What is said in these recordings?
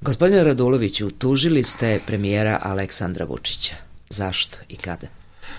Gospodine Raduloviću, tužili ste premijera Aleksandra Vučića. Zašto i kada?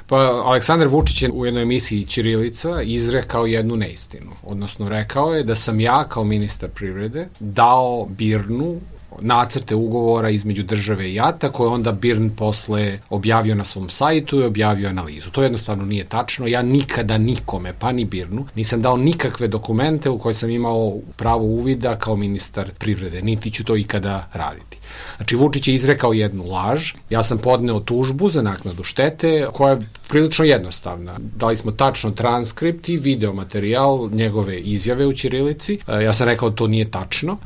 Pa, Aleksandar Vučić je u jednoj emisiji Ćirilica izrekao jednu neistinu. Odnosno, rekao je da sam ja kao ministar privrede dao BIRN-u nacrte ugovora između države i JAT-a koje onda BIRN posle objavio na svom sajtu i objavio analizu. To jednostavno nije tačno. Ja nikada nikome, pa ni BIRN-u, nisam dao nikakve dokumente u koje sam imao pravo uvida kao ministar privrede. Niti ću to ikada raditi. Znači, Vučić je izrekao jednu laž. Ja sam podneo tužbu za naknadu štete koja je prilično jednostavna. Dali smo tačno transkript i video materijal njegove izjave u ćirilici. Ja sam rekao da to nije tačno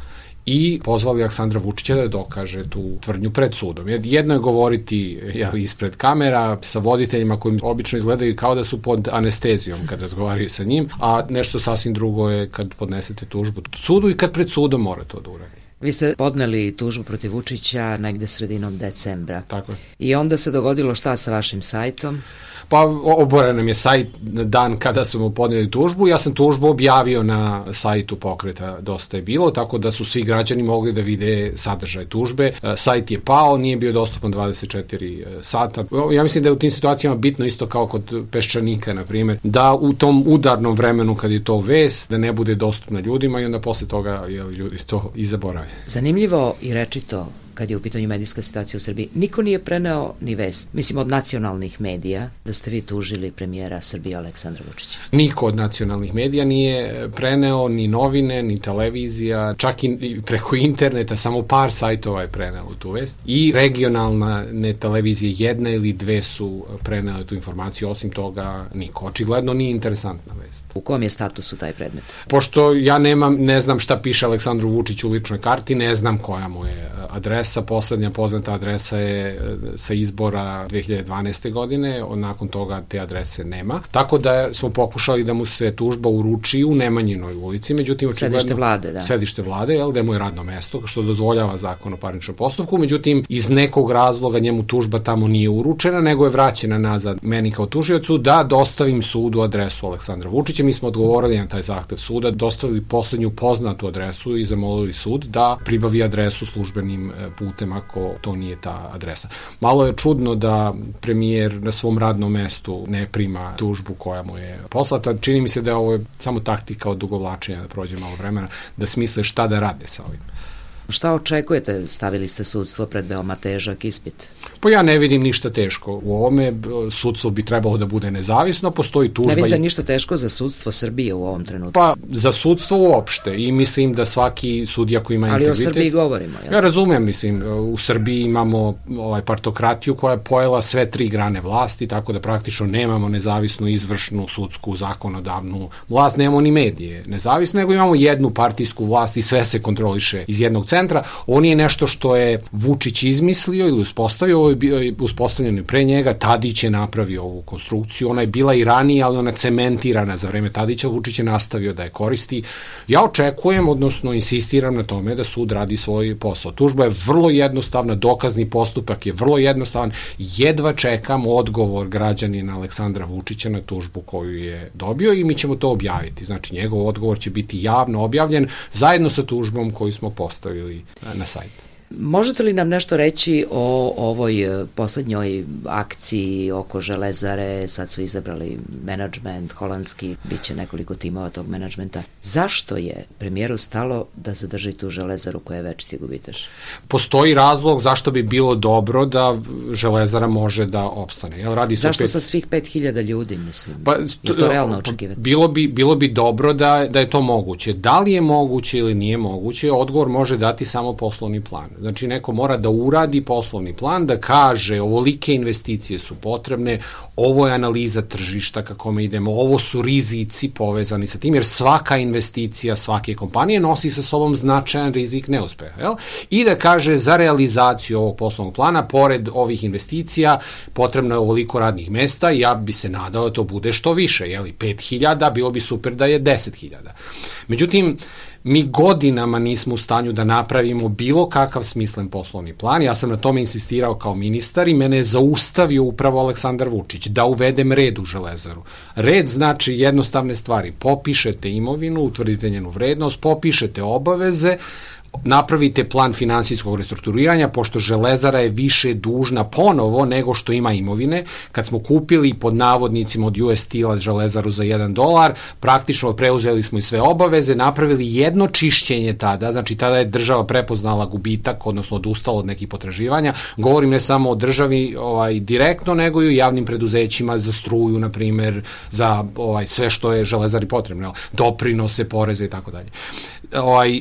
i pozvali Aleksandra Vučića da dokaže tu tvrdnju pred sudom. Jedno je govoriti ispred kamera sa voditeljima koji obično izgledaju kao da su pod anestezijom kad razgovaraju sa njim, a nešto sasvim drugo je kad podnesete tužbu sudu i kad pred sudom mora to da uradi. Vi ste podneli tužbu protiv Vučića negde sredinom decembra. Tako je. I onda se dogodilo šta sa vašim sajtom? Pa oboren nam je sajt dan kada smo podneli tužbu. Ja sam tužbu objavio na sajtu pokreta Dosta je bilo, tako da su svi građani mogli da vide sadržaj tužbe. Sajt je pao, nije bio dostupan 24 sata. Ja mislim da je u tim situacijama bitno isto kao kod Peščanika, na primjer, da u tom udarnom vremenu kad je to vest, da ne bude dostupna ljudima i onda posle toga ljudi to i zaborave. Zanimljivo i rečito kad je u pitanju medijska situacija u Srbiji. Niko nije preneo ni vest, mislim od nacionalnih medija, da ste vi tužili premijera Srbije Aleksandra Vučića. Niko od nacionalnih medija nije preneo, ni novine, ni televizija, čak i preko interneta, samo par sajtova je prenelo tu vest. I regionalne televizije, jedna ili dve su prenele tu informaciju, osim toga niko. Očigledno nije interesantna vest. U kom je statusu taj predmet? Pošto ja ne znam šta piše Aleksandru Vučiću u ličnoj karti, ne znam koja mu je adresa, poslednja poznata adresa je sa izbora 2012. godine, nakon toga te adrese nema. Tako da smo pokušali da mu se tužba uruči u Nemanjinoj ulici, međutim sedište vlade, da. Sedište vlade, gde mu je radno mesto, što dozvoljava zakon o parničnom postupku, međutim iz nekog razloga njemu tužba tamo nije uručena, nego je vraćena nazad meni kao tužiocu da dostavim sudu adresu Aleksandra Vučića. Mi smo odgovorili na taj zahtev suda, dostavili poslednju poznatu adresu i zamolili sud da pribavi adresu službenim putem ako to nije ta adresa. Malo je čudno da premijer na svom radnom mestu ne prima tužbu koja mu je poslata. Čini mi se da ovo je samo taktika od odugovlačenja, da prođe malo vremena, da smisle šta da rade sa ovim. Šta očekujete? Stavili ste sudstvo pred veoma težak ispit. Pa ja ne vidim ništa teško. U ovome sudstvo bi trebalo da bude nezavisno, postoji tužba. Ne vidite ništa teško za sudstvo Srbije u ovom trenutku? Pa za sudstvo uopšte i mislim da svaki sudija koji ima integritet... Ali o Srbiji govorimo. Ja razumem, mislim, u Srbiji imamo partokratiju koja je pojela sve tri grane vlasti, tako da praktično nemamo nezavisnu, izvršnu, sudsku, zakonodavnu vlast, nemamo ni medije nezavisne, nego imamo jednu partijsku vlast i sve se kontroliše iz jednog centra. On je nešto što je Vučić izmislio ili uspostavio, ovo je uspostavljeno i pre njega, Tadić je napravio ovu konstrukciju, ona je bila i ranije, ali ona cementirana za vreme Tadića, Vučić je nastavio da je koristi. Ja očekujem, odnosno insistiram na tome da sud radi svoj posao. Tužba je vrlo jednostavna, dokazni postupak je vrlo jednostavan, jedva čekam odgovor građanina Aleksandra Vučića na tužbu koju je dobio i mi ćemo to objaviti. Znači, njegov odgovor će biti javno objavljen zajedno sa tužbom koju smo postavili na sajtu. Možete li nam nešto reći o ovoj poslednjoj akciji oko Železare? Sad su izabrali menadžment holandski, bit će nekoliko timova tog menadžmenta. Zašto je premijeru stalo da zadrži tu Železaru koja je večiti gubitaš? Postoji razlog zašto bi bilo dobro da Železara može da opstane. Zašto sa svih 5000 ljudi, mislim? Je to realno očekivati? Bilo bi dobro da je to moguće. Da li je moguće ili nije moguće, odgovor može dati samo poslovni plan. Znači, neko mora da uradi poslovni plan, da kaže ovolike investicije su potrebne, ovo je analiza tržišta kako mi idemo, ovo su rizici povezani sa tim, jer svaka investicija svake kompanije nosi sa sobom značajan rizik neuspeha. Jel? I da kaže za realizaciju ovog poslovnog plana, pored ovih investicija, potrebno je ovoliko radnih mesta, ja bi se nadao da to bude što više, 5.000, bilo bi super da je 10.000. Međutim, mi godinama nismo u stanju da napravimo bilo kakav smislen poslovni plan. Ja sam na tome insistirao kao ministar i mene je zaustavio upravo Aleksandar Vučić da uvedem red u Železaru. Red znači jednostavne stvari. Popišete imovinu, utvrdite njenu vrednost, popišete obaveze, napravite plan finansijskog restrukturiranja, pošto Železara je više dužna ponovo nego što ima imovine. Kad smo kupili pod navodnicima od US Steel Železaru za $1, praktično preuzeli smo i sve obaveze, napravili jedno čišćenje tada, znači tada je država prepoznala gubitak, odnosno odustala od nekih potraživanja. Govorim ne samo o državi direktno, nego i o javnim preduzećima za struju, na primjer, za sve što je Železari potrebno, doprinose, poreze i tako dalje.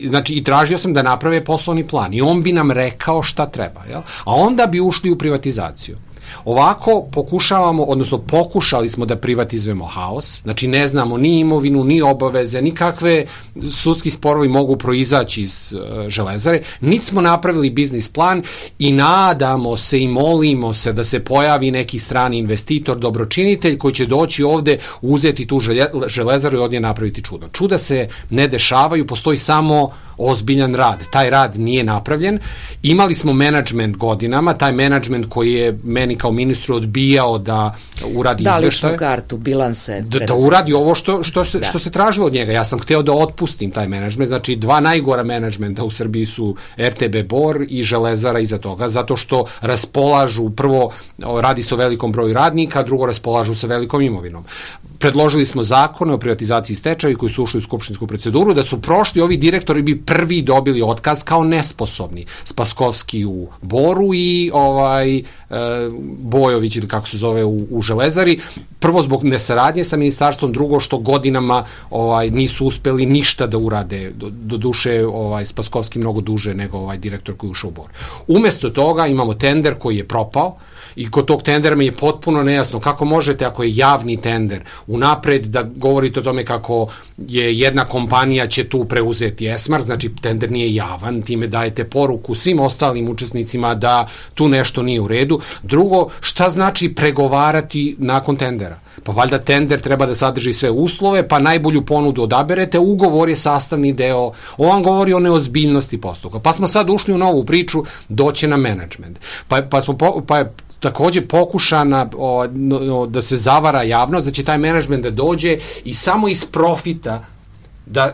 Znači, i tražio sam da naprave poslovni plan i on bi nam rekao šta treba, jel? A onda bi ušli u privatizaciju. Ovako pokušavamo, odnosno pokušali smo da privatizujemo haos, znači ne znamo ni imovinu, ni obaveze, ni kakve sudski sporovi mogu proizaći iz Železare, niti smo napravili biznis plan i nadamo se i molimo se da se pojavi neki strani investitor, dobročinitelj koji će doći ovde, uzeti tu Železaru i od nje napraviti čudo. Čuda se ne dešavaju, postoji samo ozbiljan rad. Taj rad nije napravljen. Imali smo menadžment godinama, taj menadžment koji je meni kao ministru odbijao da uradi izveštaje. Da, ličnu kartu, bilanse. Da uradi ovo što se tražilo od njega. Ja sam hteo da otpustim taj menadžment. Znači, dva najgora menadžmenta u Srbiji su RTB Bor i Železara iza toga, zato što raspolažu, prvo radi se o velikom broju radnika, drugo raspolažu sa velikom imovinom. Predložili smo zakone o privatizaciji i stečaju koji su ušli u skupštinsku proceduru, da su prošli, ovi direktori bi prvi dobili otkaz kao nesposobni. Spaskovski u Boru i Bojović, ili kako se zove, u Železari. Prvo zbog nesaradnje sa ministarstvom, drugo što godinama nisu uspeli ništa da urade. Do duše Spaskovski mnogo duže nego direktor koji je ušao u Bor. Umesto toga imamo tender koji je propao i kod tog tendera mi je potpuno nejasno kako možete, ako je javni tender, unapred da govorite o tome kako je jedna kompanija će tu preuzeti Esmark, znači tender nije javan, time dajete poruku svim ostalim učesnicima da tu nešto nije u redu. Drugo, šta znači pregovarati nakon tendera? Pa valjda tender treba da sadrži sve uslove, pa najbolju ponudu odaberete, ugovor je sastavni deo, on vam govori o neozbiljnosti postupka. Pa smo sad ušli u novu priču, doće na menadžment. Pa je takođe pokušana da se zavara javnost, da će taj menadžment da dođe i samo iz profita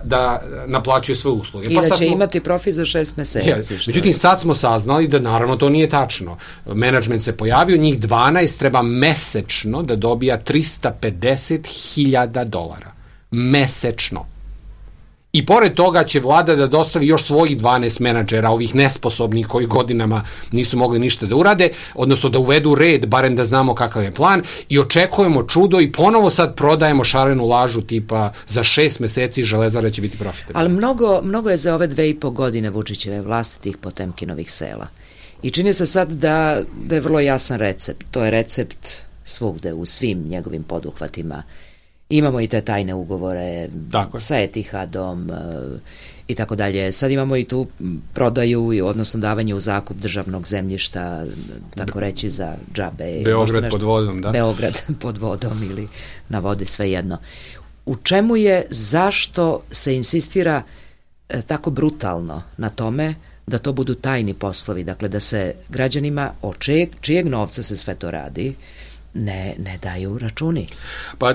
da naplaćuje sve usluge. I da će imati profit za 6 meseci. Međutim, sad smo saznali da naravno to nije tačno. Menadžment se pojavio, njih 12 treba mesečno da dobija $350.000. Mesečno. I pored toga će vlada da dostavi još svojih 12 menadžera, ovih nesposobnih koji godinama nisu mogli ništa da urade, odnosno da uvedu red, barem da znamo kakav je plan, i očekujemo čudo i ponovo sad prodajemo šarenu lažu tipa za 6 meseci Železara će biti profitabilna. Ali mnogo je za ove 2,5 godine Vučićeve vlasti tih Potemkinovih sela. I čini se sad da je vrlo jasan recept. To je recept svugde, u svim njegovim poduhvatima. Imamo i te tajne ugovore sa Etihadom i tako dalje. Sad imamo i tu prodaju, odnosno davanje u zakup državnog zemljišta, tako reći, za džabe. Beograd pod vodom, da? Beograd pod vodom ili na vodi, svejedno. U čemu je, zašto se insistira tako brutalno na tome da to budu tajni poslovi, dakle da se građanima čijeg novca se sve to radi, ne daju računi. Pa,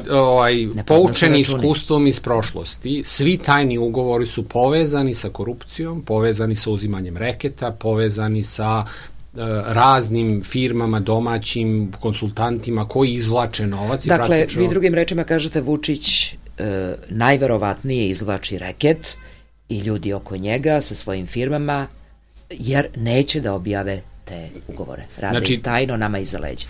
poučeni iskustvom iz prošlosti, svi tajni ugovori su povezani sa korupcijom, povezani sa uzimanjem reketa, povezani sa raznim firmama, domaćim konsultantima koji izvlače novac. Dakle, vi drugim rečima kažete Vučić najverovatnije izvlači reket i ljudi oko njega sa svojim firmama, jer neće da objave te ugovore. Rade ih tajno nama iza leđa.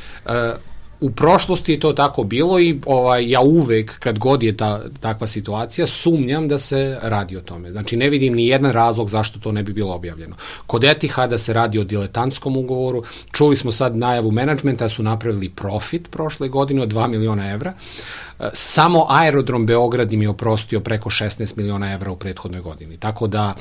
U prošlosti je to tako bilo i ja uvek, kad god je takva situacija, sumnjam da se radi o tome. Znači, ne vidim ni jedan razlog zašto to ne bi bilo objavljeno. Kod Etihada se radi o diletantskom ugovoru. Čuli smo sad najavu menadžmenta da su napravili profit prošle godine od 2 miliona evra. Samo aerodrom Beograd im je oprostio preko 16 miliona evra u prethodnoj godini. Tako da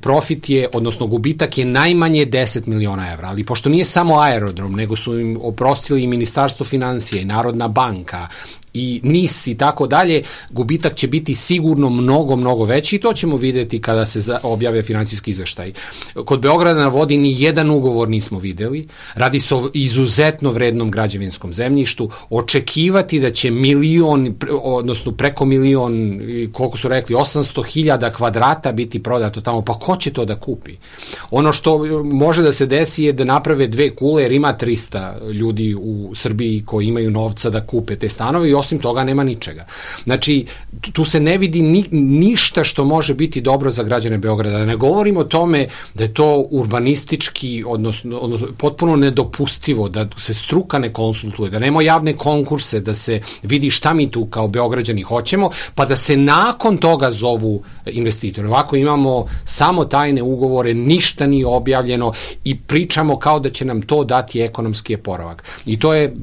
profit je, odnosno gubitak je najmanje 10 miliona evra. Ali pošto nije samo aerodrom, nego su im oprostili i Ministarstvo finansija i Narodna banka i NIS i tako dalje, gubitak će biti sigurno mnogo veći i to ćemo vidjeti kada se objave finansijski izveštaj. Kod Beograda na vodi ni jedan ugovor nismo videli, radi se o izuzetno vrednom građevinskom zemljištu, očekivati da će milion, odnosno preko milion, koliko su rekli, 800.000 kvadrata biti prodato tamo, pa ko će to da kupi? Ono što može da se desi je da naprave 2 kule, jer ima 300 ljudi u Srbiji koji imaju novca da kupe te stanove i osim toga nema ničega. Znači, tu se ne vidi ništa što može biti dobro za građane Beograda. Da ne govorimo o tome da je to urbanistički, odnosno potpuno nedopustivo, da se struka ne konsultuje, da nema javne konkurse, da se vidi šta mi tu kao Beograđani hoćemo, pa da se nakon toga zovu investitori. Ovako imamo samo tajne ugovore, ništa nije objavljeno i pričamo kao da će nam to dati ekonomski oporavak. I to je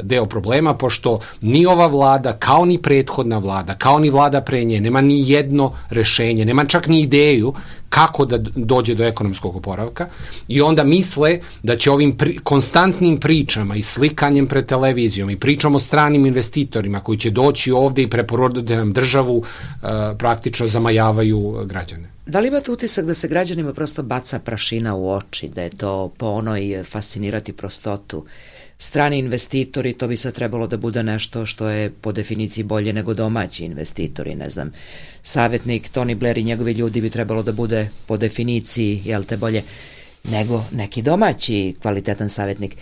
deo problema, pošto ni ova vlada, kao ni prethodna vlada, kao ni vlada pre nje, nema ni jedno rešenje, nema čak ni ideju kako da dođe do ekonomskog oporavka i onda misle da će ovim konstantnim pričama i slikanjem pred televizijom i pričom o stranim investitorima koji će doći ovde i preporoditi nam državu, praktično zamajavaju građane. Da li imate utisak da se građanima prosto baca prašina u oči, da je to po onoj fascinirati prostotu? Strani investitori, to bi sad trebalo da bude nešto što je po definiciji bolje nego domaći investitori, ne znam, savjetnik Tony Blair i njegovi ljudi bi trebalo da bude po definiciji, jel te, bolje nego neki domaći kvalitetan savjetnik.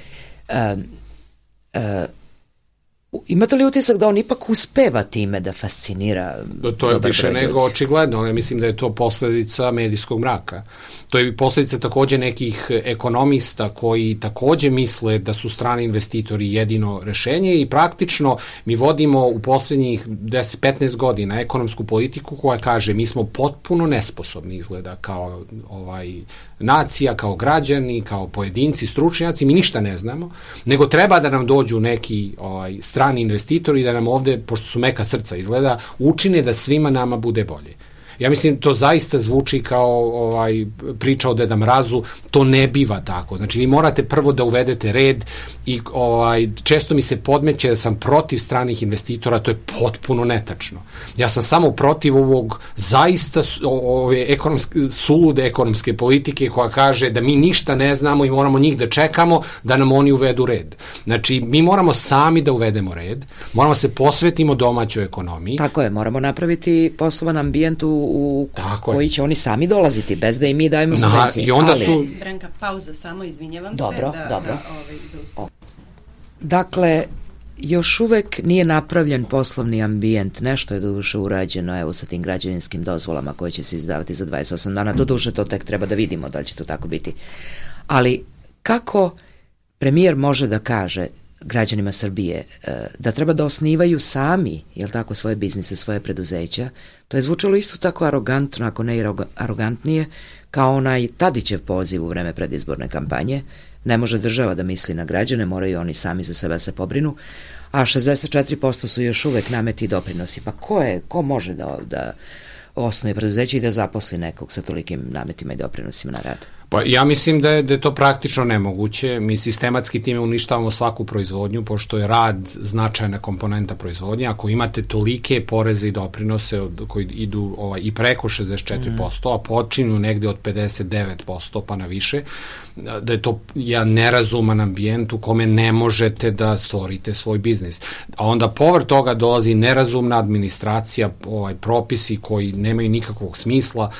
Imate li utisak da on ipak uspeva time da fascinira? To je više nego očigledno, ali mislim da je to posledica medijskog mraka. To je posledica takođe nekih ekonomista koji takođe misle da su strani investitori jedino rešenje i praktično mi vodimo u poslednjih 10-15 godina ekonomsku politiku koja kaže mi smo potpuno nesposobni izgleda kao nacija, kao građani, kao pojedinci, stručnjaci, mi ništa ne znamo, nego treba da nam dođu neki strani investitori i da nam ovde, pošto su meka srca izgleda, učine da svima nama bude bolje. Ja mislim, to zaista zvuči kao priča o Deda Mrazu, to ne biva tako. Znači, vi morate prvo da uvedete red i često mi se podmeće da sam protiv stranih investitora, to je potpuno netačno. Ja sam samo protiv ovog zaista sulude ekonomske politike koja kaže da mi ništa ne znamo i moramo njih da čekamo da nam oni uvedu red. Znači, mi moramo sami da uvedemo red, moramo se posvetimo domaćoj ekonomiji. Tako je, moramo napraviti poslovan ambijent u koji će oni sami dolaziti, bez da i mi dajemo subvencije. I onda su... Branka, pauza samo, izvinjavam se. Dobro. Zaustavim. Dakle, još uvek nije napravljen poslovni ambijent, nešto je doduše urađeno, evo sa tim građevinskim dozvolama koje će se izdavati za 28 dana, doduše to tek treba da vidimo da li će to tako biti. Ali kako premijer može da kaže građanima Srbije da treba da osnivaju sami, jel tako, svoje biznise, svoje preduzeća, to je zvučalo isto tako arogantno, ako ne i arogantnije, kao onaj Tadićev poziv u vreme predizborne kampanje. Ne može država da misli na građane, moraju oni sami za sebe se pobrinu, a 64% su još uvek nameti i doprinosi. Pa ko može da osnuje preduzeće i da zaposli nekog sa tolikim nametima i doprinosima na rad? Pa ja mislim da je to praktično nemoguće. Mi sistematski time uništavamo svaku proizvodnju, pošto je rad značajna komponenta proizvodnje. Ako imate tolike poreze i doprinose koji idu i preko 64%, a počinju negde od 59% pa na više, da je to jedan nerazuman ambijent u kome ne možete da stvorite svoj biznis. A onda povrh toga dolazi nerazumna administracija, propisi koji nemaju nikakvog smisla,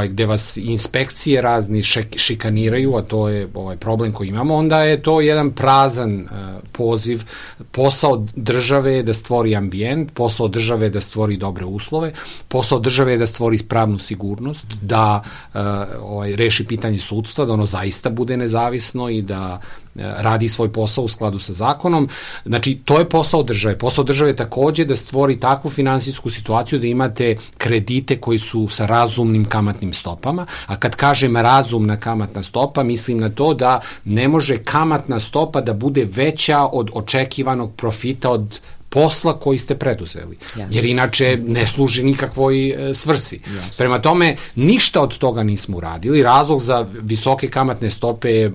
gde vas inspekcije razni šikaniraju, a to je problem koji imamo, onda je to jedan prazan poziv. Posao države je da stvori ambijent, posao države je da stvori dobre uslove, posao države je da stvori pravnu sigurnost, da reši pitanje sudstva, da ono zaista bude nezavisno i da radi svoj posao u skladu sa zakonom. Znači, to je posao države. Posao države je takođe da stvori takvu finansijsku situaciju da imate kredite koji su sa razumnim kamatnim stopama, a kad kažem razumna kamatna stopa, mislim na to da ne može kamatna stopa da bude veća od očekivanog profita od posla koji ste preduzeli. Jasne. Jer inače ne služi nikakvoj svrsi. Jasne. Prema tome, ništa od toga nismo uradili. Razlog za visoke kamatne stope je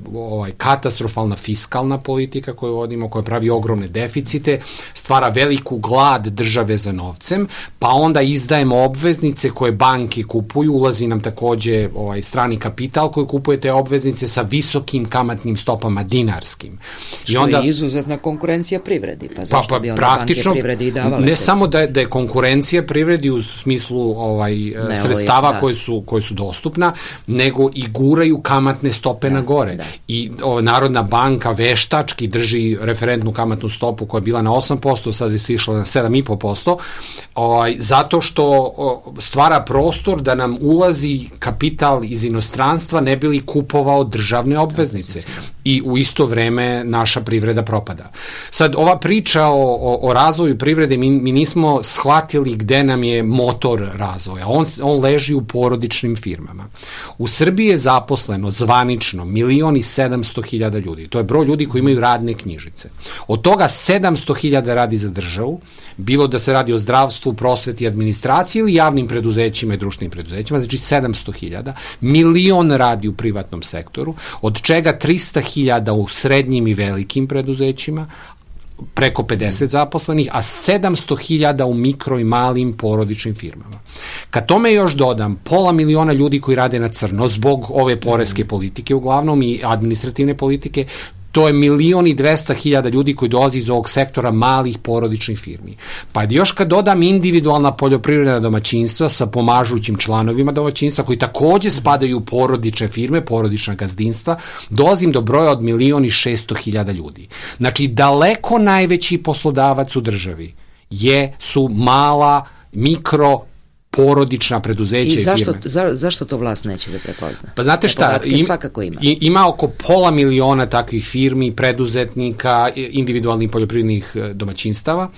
katastrofalna fiskalna politika koju vodimo, koja pravi ogromne deficite, stvara veliku glad države za novcem, pa onda izdajemo obveznice koje banke kupuju, ulazi nam takođe strani kapital koji kupuje te obveznice sa visokim kamatnim stopama dinarskim. Što onda, je izuzetna konkurencija privredi, pa zašto bi onda banke privredi i davale? Ne samo da je konkurencija privredi u smislu sredstava koje su dostupna, nego i guraju kamatne stope na gore. I Narodna banka veštački drži referentnu kamatnu stopu koja je bila na 8%, sad je išla na 7,5%, zato što stvara prostor da nam ulazi kapital iz inostranstva ne bi li kupovao državne obveznice. I u isto vreme naša privreda propada. Sad, ova priča o razvoju privrede, mi nismo shvatili gde nam je motor razvoja. On leži u porodičnim firmama. U Srbiji je zaposleno zvanično 1.700.000 ljudi. To je broj ljudi koji imaju radne knjižice. Od toga 700.000 radi za državu, bilo da se radi o zdravstvu, prosveti, administraciji ili javnim preduzećima i društvenim preduzećima, znači 700.000, 1.000.000 radi u privatnom sektoru, od čega 300.000 u srednjim i velikim preduzećima, preko 50 zaposlenih, a 700.000 u mikro i malim porodičnim firmama. Kad tome još dodam 500.000 ljudi koji rade na crno zbog ove poreske politike uglavnom i administrativne politike, to je 1.200.000 ljudi koji dolazi iz ovog sektora malih porodičnih firmi. Pa još kad dodam individualna poljoprivredna domaćinstva sa pomažućim članovima domaćinstva koji takođe spadaju u porodične firme, porodična gazdinstva, dolazim do broja od 1.600.000 ljudi. Znači, daleko najveći poslodavac u državi su mala, mikro, porodična preduzeća i firme. I zašto to vlast neće da prepozna? Pa znate šta, ima oko 500.000 takvih firmi, preduzetnika, individualnih poljoprivrednih domaćinstava.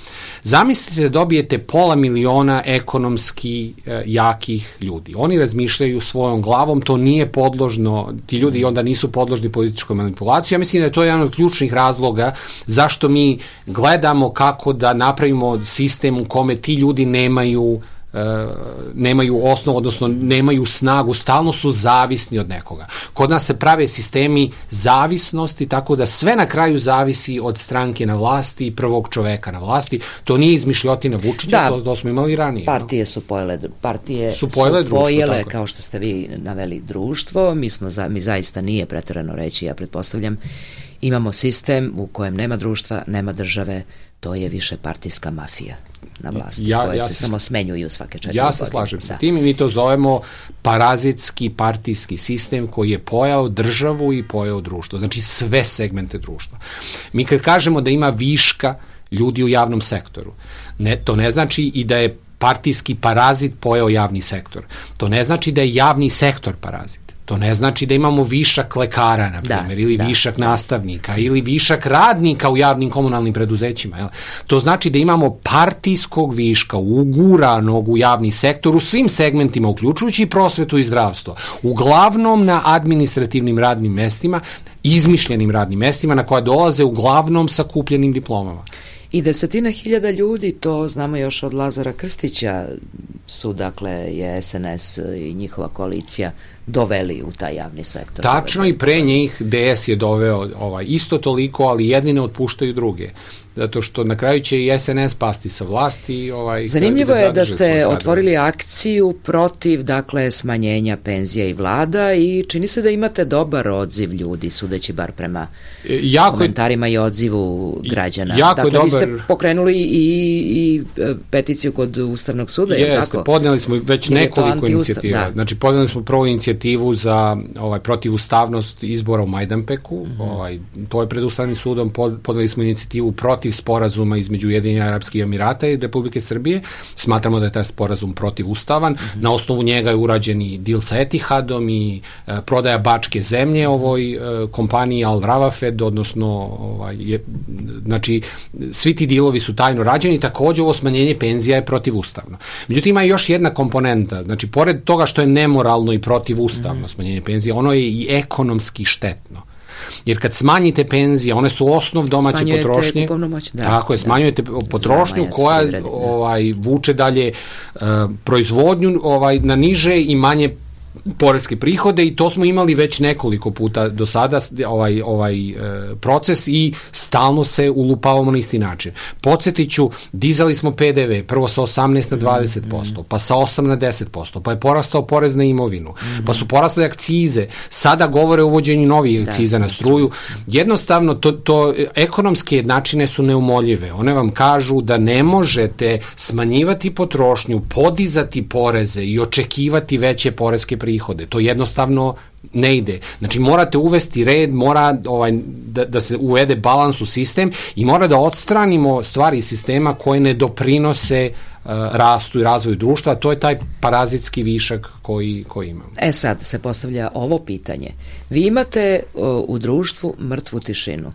Zamislite da dobijete 500.000 ekonomski jakih ljudi. Oni razmišljaju svojom glavom, to nije podložno, ti ljudi onda nisu podložni političkoj manipulaciji. Ja mislim da je to jedan od ključnih razloga zašto mi gledamo kako da napravimo sistem u kome ti ljudi nemaju osnovu, odnosno nemaju snagu, stalno su zavisni od nekoga. Kod nas se prave sistemi zavisnosti, tako da sve na kraju zavisi od stranke na vlasti i prvog čoveka na vlasti. To nije izmišljotina Vučića, to smo imali ranije. Partije su pojele, kao što ste vi naveli, društvo. Mi zaista nije preterano reći, ja pretpostavljam, imamo sistem u kojem nema društva, nema države, to je više partijska mafija na vlasti, koje se samo smenjuju svake 4 godine. Ja se slažem sa tim i mi to zovemo parazitski partijski sistem koji je pojao državu i pojao društvo, znači sve segmente društva. Mi kad kažemo da ima viška ljudi u javnom sektoru, to ne znači i da je partijski parazit pojao javni sektor. To ne znači da je javni sektor parazit. To ne znači da imamo višak lekara, na primjer, ili višak nastavnika, ili višak radnika u javnim komunalnim preduzećima. To znači da imamo partijskog viška uguranog u javni sektor u svim segmentima, uključujući i prosvetu i zdravstvo. Uglavnom na administrativnim radnim mestima, izmišljenim radnim mestima na koja dolaze uglavnom sa kupljenim diplomama. I 10.000 ljudi, to znamo još od Lazara Krstića, su, dakle, je SNS i njihova koalicija doveli u taj javni sektor. Tačno, i pre njih DS je doveo isto toliko, ali jedni ne otpuštaju druge. Zato što na kraju će i SNS pasti sa vlasti. Zanimljivo je da ste otvorili akciju protiv, dakle, smanjenja penzija i vlada i čini se da imate dobar odziv ljudi, sudeći bar prema komentarima i odzivu građana. Dakle, vi ste pokrenuli i peticiju kod Ustavnog suda, je li tako? Podneli smo već nekoliko inicijativa. Znači, podneli smo prvu inicijativu za protivustavnost izbora u Majdanpeku, to je pred Ustavnim sudom, podneli smo inicijativu protiv sporazuma između Ujedinjenih Arapskih Emirata i Republike Srbije. Smatramo da je taj sporazum protivustavan. Na osnovu njega je urađen i deal sa Etihadom i prodaja bačke zemlje ovoj kompaniji Al Ravafed, odnosno znači svi ti dealovi su tajno rađeni, takođe ovo smanjenje penzija je protivustavno. Međutim, ima još jedna komponenta, znači pored toga što je nemoralno i protivustavno smanjenje penzija, ono je i ekonomski štetno. Jer kad smanjite penzije, one su osnov domaće potrošnje. Kupovnu moć, da. Tako je, smanjujete potrošnju koja vuče dalje proizvodnju na niže i manje poreske prihode i to smo imali već nekoliko puta do sada proces i stalno se ulupavamo na isti način. Podsjetit ću, dizali smo PDV prvo sa 18 na 20%, pa sa 8 na 10%, pa je porastao porez na imovinu, pa su porasle akcize, sada govore o uvođenju novih akciza na struju. Jednostavno, to ekonomske jednačine su neumoljive. One vam kažu da ne možete smanjivati potrošnju, podizati poreze i očekivati veće poreske prihode. To jednostavno ne ide. Znači morate uvesti red, mora da se uvede balans u sistem i mora da odstranimo stvari iz sistema koje ne doprinose rastu i razvoju društva, a to je taj parazitski višak koji imamo. Sad se postavlja ovo pitanje. Vi imate u društvu mrtvu tišinu.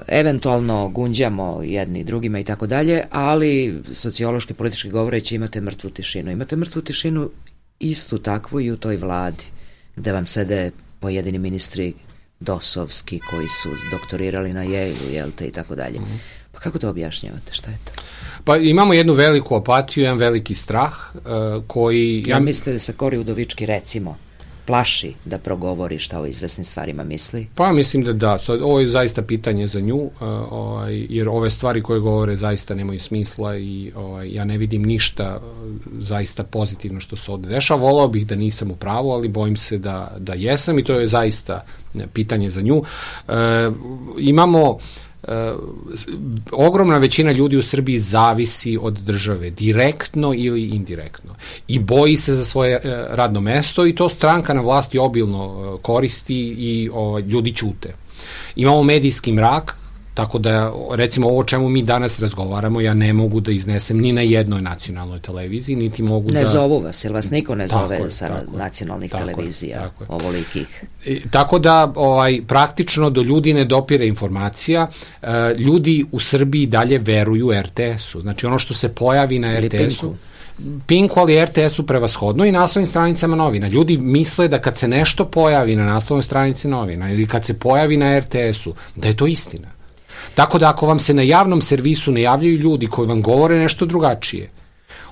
Eventualno gunđamo jedni drugima i tako dalje, ali sociološki, politički govoreći imate mrtvu tišinu. Imate mrtvu tišinu istu takvu i u toj vladi, gde vam sede pojedini ministri dosovski koji su doktorirali na Yale-u, jelte, i tako dalje. Pa kako to objašnjavate? Šta je to? Pa imamo jednu veliku apatiju, jedan veliki strah koji... Ja mislite da se Kori Udovički, recimo, plaši da progovori šta o izvesnim stvarima misli? Pa mislim da. Ovo je zaista pitanje za nju, jer ove stvari koje govore zaista nemaju smisla i ja ne vidim ništa zaista pozitivno što se ovde dešava. Volao bih da nisam u pravu, ali bojim se da jesam i to je zaista pitanje za nju. Imamo ogromna većina ljudi u Srbiji zavisi od države, direktno ili indirektno, i boji se za svoje radno mesto i to stranka na vlasti obilno koristi i ljudi ćute. Imamo medijski mrak, tako da, recimo, ovo o čemu mi danas razgovaramo, ja ne mogu da iznesem ni na jednoj nacionalnoj televiziji, niti mogu Ne zovu vas, jer vas niko ne zove sa nacionalnih televizija, ovolikih. Tako da, praktično do ljudi ne dopire informacija, ljudi u Srbiji dalje veruju RTS-u, znači ono što se pojavi na RTS-u, Pinku, ali RTS-u prevashodno i naslovnim stranicama novina. Ljudi misle da kad se nešto pojavi na naslovnoj stranici novina ili kad se pojavi na RTS-u, da je to istina. Tako da ako vam se na javnom servisu ne javljaju ljudi koji vam govore nešto drugačije,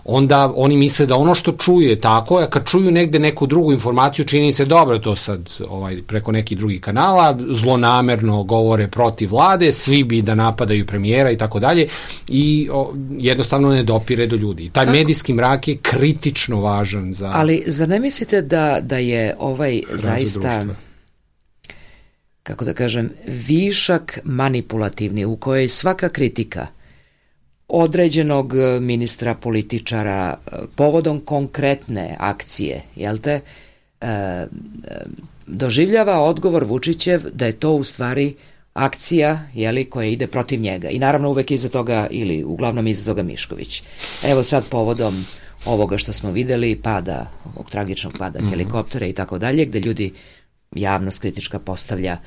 onda oni misle da ono što čuje je tako, a kad čuju negde neku drugu informaciju, čini se dobro, to sad preko nekih drugih kanala, zlonamerno govore protiv vlade, svi bi da napadaju premijera i tako dalje, i jednostavno ne dopire do ljudi. Taj medijski mrak je kritično važan za... Ali zar ne mislite da je zaista... kako da kažem, višak manipulativni u kojoj svaka kritika određenog ministra, političara, povodom konkretne akcije, jel te, doživljava odgovor Vučićev da je to u stvari akcija, jeli, koja ide protiv njega. I naravno uvek iza toga, ili uglavnom iza toga Mišković. Evo sad povodom ovoga što smo videli, pada, ovog tragičnog pada helikoptera i tako dalje, gde ljudi, javnost kritička, postavlja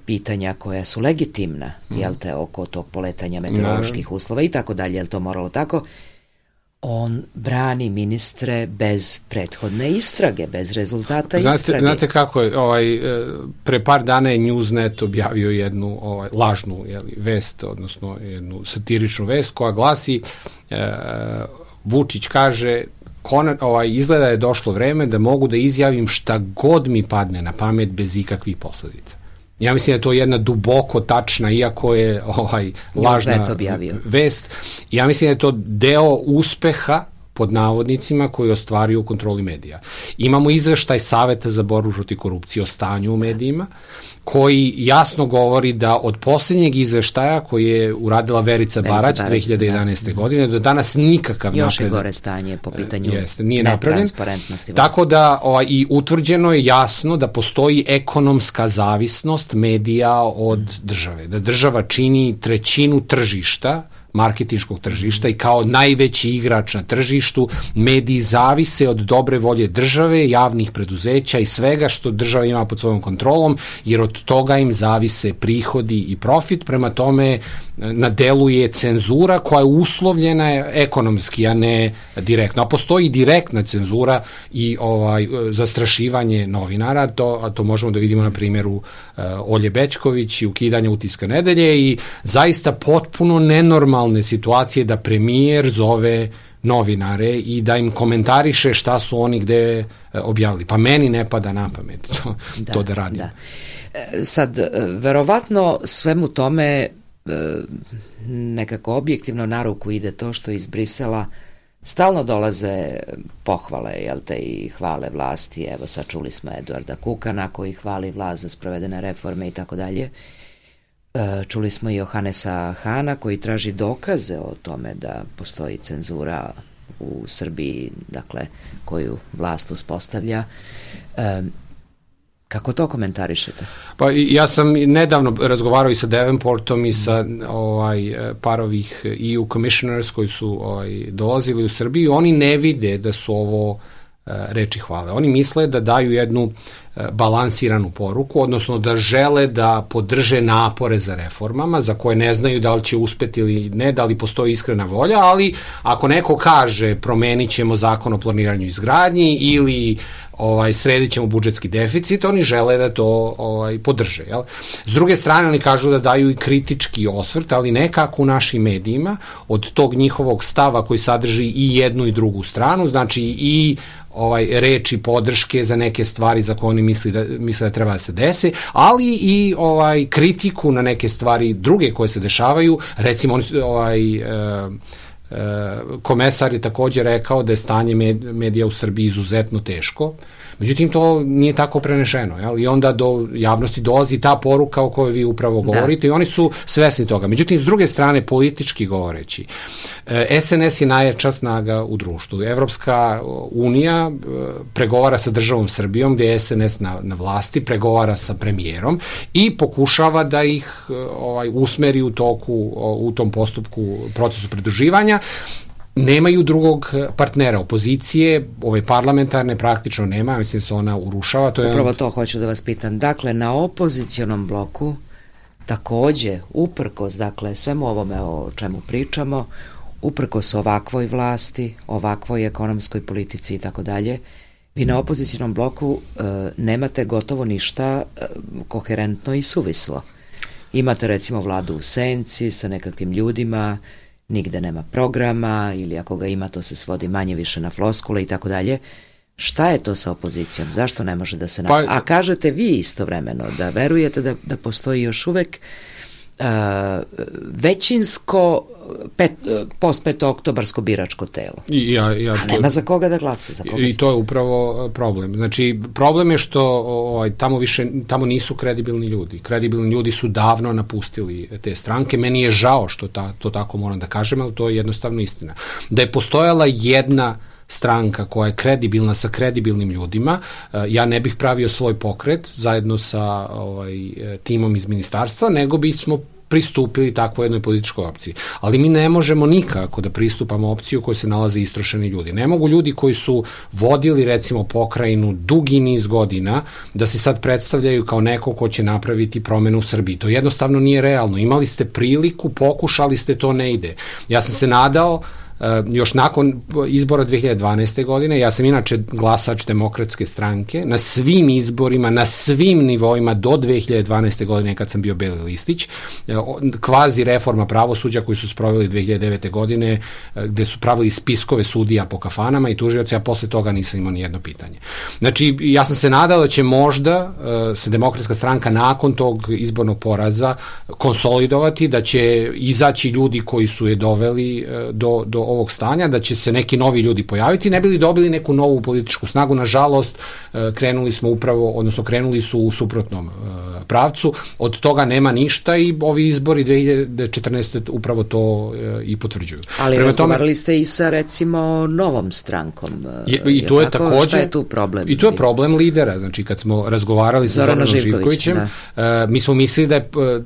pitanja koja su legitimna, jel te, oko tog poletanja meteoroloških uslova i tako dalje, jel to moralo tako, on brani ministre bez prethodne istrage, bez rezultata istrage. Znate kako je, pre par dana je Newsnet objavio jednu lažnu vest, odnosno jednu satiričnu vest koja glasi, Vučić kaže, izgleda je došlo vreme da mogu da izjavim šta god mi padne na pamet bez ikakvih posledica. Ja mislim da je to jedna duboko tačna, iako je lažna vest. Ja mislim da je to deo uspeha, pod navodnicima, koji ostvaruju u kontroli medija. Imamo izveštaj Saveta za borbu protiv korupcije o stanju u medijima, koji jasno govori da od posljednjeg izveštaja koji je uradila Verica Barać 2011. godine do danas nikakav napredak. Još je gore stanje po pitanju netransparentnosti. Tako da i utvrđeno je jasno da postoji ekonomska zavisnost medija od države. Da država čini 1/3 tržišta, marketinškog tržišta, i kao najveći igrač na tržištu mediji zavise od dobre volje države, javnih preduzeća i svega što država ima pod svojom kontrolom, jer od toga im zavise prihodi i profit. Prema tome, na delu je cenzura koja je uslovljena ekonomski, a ne direktno. A postoji direktna cenzura i zastrašivanje novinara, a to možemo da vidimo na primjeru Olje Bećković i ukidanja Utiska nedelje i zaista potpuno nenormalne situacije da premijer zove novinare i da im komentariše šta su oni gde objavili. Pa meni ne pada na pamet to da radim. Da. Sad, verovatno svemu tome nekako objektivno na ruku ide to što iz Brisela stalno dolaze pohvale, jel te, i hvale vlasti. Evo sad čuli smo Eduarda Kukana koji hvali vlast za sprovedene reforme i tako dalje. Čuli smo i Johanesa Hana koji traži dokaze o tome da postoji cenzura u Srbiji, dakle, koju vlast uspostavlja. Kako to komentarišete? Pa ja sam nedavno razgovarao i sa Davenportom i sa par ovih EU commissioners koji su dolazili u Srbiju. Oni ne vide da su ovo reči hvale. Oni misle da daju jednu balansiranu poruku, odnosno da žele da podrže napore za reformama, za koje ne znaju da li će uspeti ili ne, da li postoji iskrena volja, ali ako neko kaže promenit ćemo zakon o planiranju i izgradnji ili sredit ćemo budžetski deficit, oni žele da to podrže. Jel? S druge strane, oni kažu da daju i kritički osvrt, ali nekako u našim medijima, od tog njihovog stava koji sadrži i jednu i drugu stranu, znači i reči podrške za neke stvari za koje oni misle da treba da se desi, ali i kritiku na neke stvari druge koje se dešavaju. Recimo, komesar je također rekao da je stanje medija u Srbiji izuzetno teško. Međutim, to nije tako prenešeno. Jel? I onda do javnosti dolazi ta poruka o kojoj vi upravo govorite i oni su svesni toga. Međutim, s druge strane, politički govoreći, SNS je najjača snaga u društvu. Evropska unija pregovara sa državom Srbijom, gde je SNS na vlasti, pregovara sa premijerom i pokušava da ih usmeri u tom postupku, procesu pridruživanja. Nemaju drugog partnera, opozicije, ove parlamentarne praktično nema, mislim se ona urušava. Upravo to hoću da vas pitam. Dakle, na opozicionom bloku takođe, uprkos, dakle, svemu ovome o čemu pričamo, uprkos ovakvoj vlasti, ovakvoj ekonomskoj politici i tako dalje, vi na opozicionom bloku nemate gotovo ništa koherentno i suvislo. Imate recimo vladu u senci sa nekakvim ljudima, nigde nema programa ili ako ga ima to se svodi manje više na floskule i tako dalje. Šta je to sa opozicijom? Zašto ne može da se... A kažete vi istovremeno da verujete da postoji još uvek većinsko post-petooktobarsko biračko telo. A nema za koga da glasa. I to je upravo problem. Znači, problem je što tamo nisu kredibilni ljudi. Kredibilni ljudi su davno napustili te stranke. Meni je žao što to tako moram da kažem, ali to je jednostavno istina. Da je postojala jedna stranka koja je kredibilna sa kredibilnim ljudima, ja ne bih pravio svoj pokret zajedno sa timom iz ministarstva, nego bismo pristupili takvoj jednoj političkoj opciji. Ali mi ne možemo nikako da pristupamo opciju u kojoj se nalaze istrošeni ljudi. Ne mogu ljudi koji su vodili recimo pokrajinu dugi niz godina da se sad predstavljaju kao neko ko će napraviti promenu u Srbiji. To jednostavno nije realno. Imali ste priliku, pokušali ste, to ne ide. Ja sam se nadao još nakon izbora 2012. godine, ja sam inače glasač Demokratske stranke, na svim izborima, na svim nivoima do 2012. godine kad sam bio beli listić, kvazi reforma pravosuđa koju su sproveli 2009. godine, gde su pravili spiskove sudija po kafanama i tužioci, a posle toga nisam imao ni jedno pitanje. Znači, ja sam se nadao da će možda se Demokratska stranka nakon tog izbornog poraza konsolidovati, da će izaći ljudi koji su je doveli do ovog stanja, da će se neki novi ljudi pojaviti, ne bili dobili neku novu političku snagu. Nažalost, krenuli su u suprotnom pravcu. Od toga nema ništa i ovi izbori 2014. upravo to i potvrđuju. Ali razgovarali ste i sa recimo novom strankom. I to je takođe... Šta je tu problem? I to je problem lidera. Znači, kad smo razgovarali sa Zoranom Živkovićem, mi smo mislili da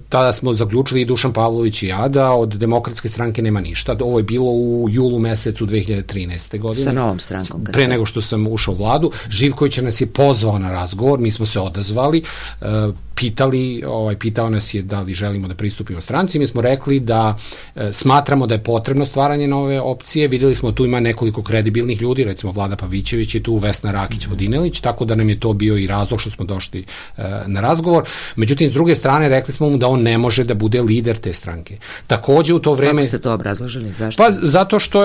tada smo zaključili i Dušan Pavlović i ja da od Demokratske stranke nema ništa. Ovo je bilo u julu mesecu 2013. godine. Sa novom strankom. Pre nego što sam ušao u vladu. Živković nas je pozvao na razgovor, mi smo se odazvali. pitao nas je da li želimo da pristupimo stranci. Mi smo rekli da smatramo da je potrebno stvaranje nove opcije. Videli smo tu ima nekoliko kredibilnih ljudi, recimo Vlada Pavićević je tu, Vesna Rakić-Vodinelić, tako da nam je to bio i razlog što smo došli na razgovor. Međutim, s druge strane, rekli smo mu da on ne može da bude lider te stranke. Takođe u to vreme... Kako ste to obrazložili? Zašto? Pa zato što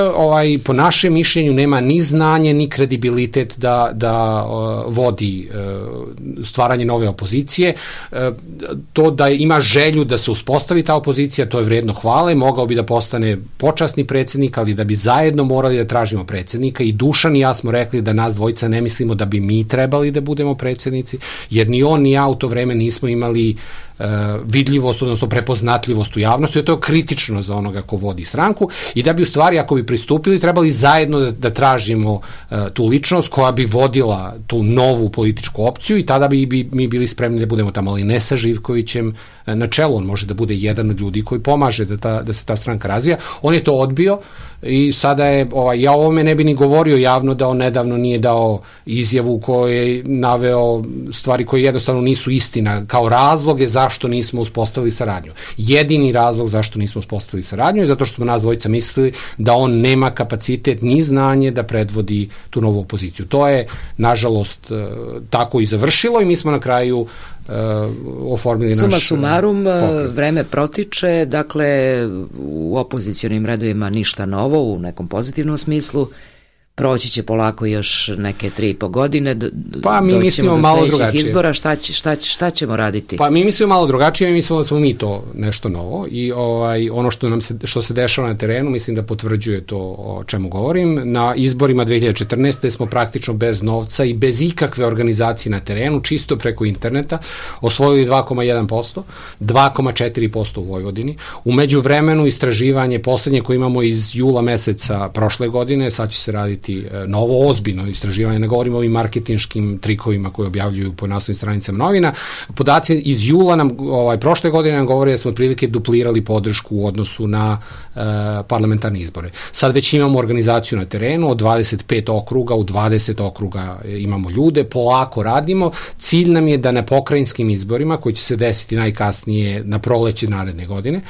po našem mišljenju nema ni znanje, ni kredibilitet da vodi stvaranje nove opozicije. To da ima želju da se uspostavi ta opozicija, to je vredno hvale, mogao bi da postane počasni predsjednik, ali da bi zajedno morali da tražimo predsjednika i Dušan i ja smo rekli da nas dvojica ne mislimo da bi mi trebali da budemo predsjednici, jer ni on ni ja u to vreme nismo imali vidljivost, odnosno prepoznatljivost u javnosti, to je kritično za onoga ko vodi stranku i da bi u stvari, ako bi pristupili, trebali zajedno da tražimo tu ličnost koja bi vodila tu novu političku opciju i tada bi mi bili spremni da budemo tamo, ali ne sa Živkovićem na čelu, on može da bude jedan od ljudi koji pomaže da se ta stranka razvija. On je to odbio i sada je, ja o ovome ne bi ni govorio javno da on nedavno nije dao izjavu koju je naveo stvari koje jednostavno nisu istina, kao razloge zašto nismo uspostavili saradnju. Jedini razlog zašto nismo uspostavili saradnju je zato što smo nas dvojica mislili da on nema kapacitet ni znanje da predvodi tu novu opoziciju. To je, nažalost, tako i završilo i mi smo na kraju oformili naš... Suma sumarum, vreme protiče, dakle u opozicionim redovima ništa novo u nekom pozitivnom smislu, proći će polako još neke 3,5 godine, pa mi mislimo malo drugačije. Izbora, šta ćemo raditi? Pa mi mislimo malo drugačije, mi mislimo da smo mi to nešto novo i ono što se dešava na terenu, mislim da potvrđuje to o čemu govorim. Na izborima 2014. smo praktično bez novca i bez ikakve organizacije na terenu, čisto preko interneta, osvojili 2,1%, 2,4% u Vojvodini. U međuvremenu istraživanje poslednje koje imamo iz jula meseca prošle godine, sad će se raditi novo ozbiljno istraživanje, ne govorimo o ovim marketinškim trikovima koje objavljuju po naslovnim stranicama novina. Podaci iz jula nam, prošle godine nam govore da smo otprilike duplirali podršku u odnosu na parlamentarne izbore. Sad već imamo organizaciju na terenu, od 25 okruga, u 20 okruga imamo ljude, polako radimo. Cilj nam je da na pokrajinskim izborima, koji će se desiti najkasnije na proleće naredne godine,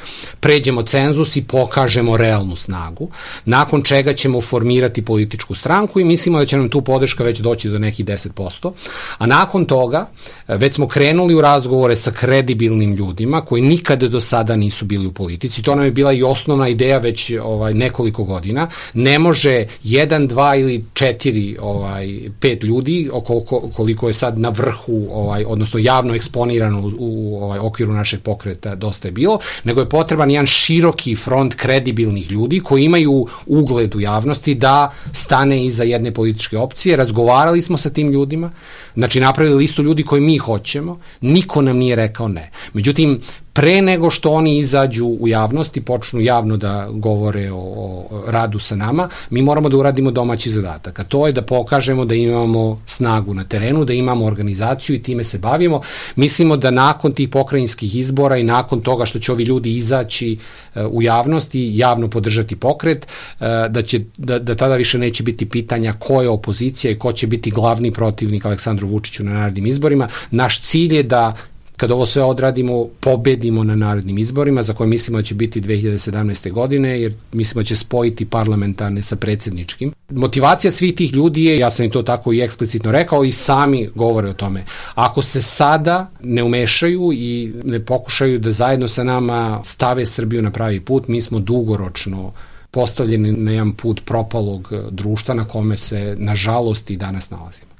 pređemo cenzus i pokažemo realnu snagu, nakon čega ćemo formirati političku stranku i mislimo da će nam tu podrška već doći do nekih 10%, a nakon toga već smo krenuli u razgovore sa kredibilnim ljudima koji nikada do sada nisu bili u politici. To nam je bila i osnovna ideja već nekoliko godina. Ne može 1, 2 ili 4, 5 ljudi, koliko je sad na vrhu, odnosno javno eksponirano u okviru našeg pokreta dosta je bilo, nego je potreban jedan široki front kredibilnih ljudi koji imaju ugled u javnosti da stane iza jedne političke opcije. Razgovarali smo sa tim ljudima, znači napravili listu ljudi koji mi hoćemo, niko nam nije rekao ne. Međutim, pre nego što oni izađu u javnost i počnu javno da govore o radu sa nama, mi moramo da uradimo domaći zadatak, a to je da pokažemo da imamo snagu na terenu, da imamo organizaciju i time se bavimo. Mislimo da nakon tih pokrajinskih izbora i nakon toga što će ovi ljudi izaći u javnost i javno podržati pokret, da tada više neće biti pitanja ko je opozicija i ko će biti glavni protivnik Aleksandru Vučiću na narednim izborima. Naš cilj je da kad ovo sve odradimo, pobedimo na narednim izborima, za koje mislimo da će biti 2017. godine, jer mislimo da će spojiti parlamentarne sa predsjedničkim. Motivacija svih tih ljudi je, ja sam im to tako i eksplicitno rekao, i sami govore o tome. Ako se sada ne umešaju i ne pokušaju da zajedno sa nama stave Srbiju na pravi put, mi smo dugoročno postavljeni na jedan put propalog društva na kome se, nažalost, i danas nalazimo.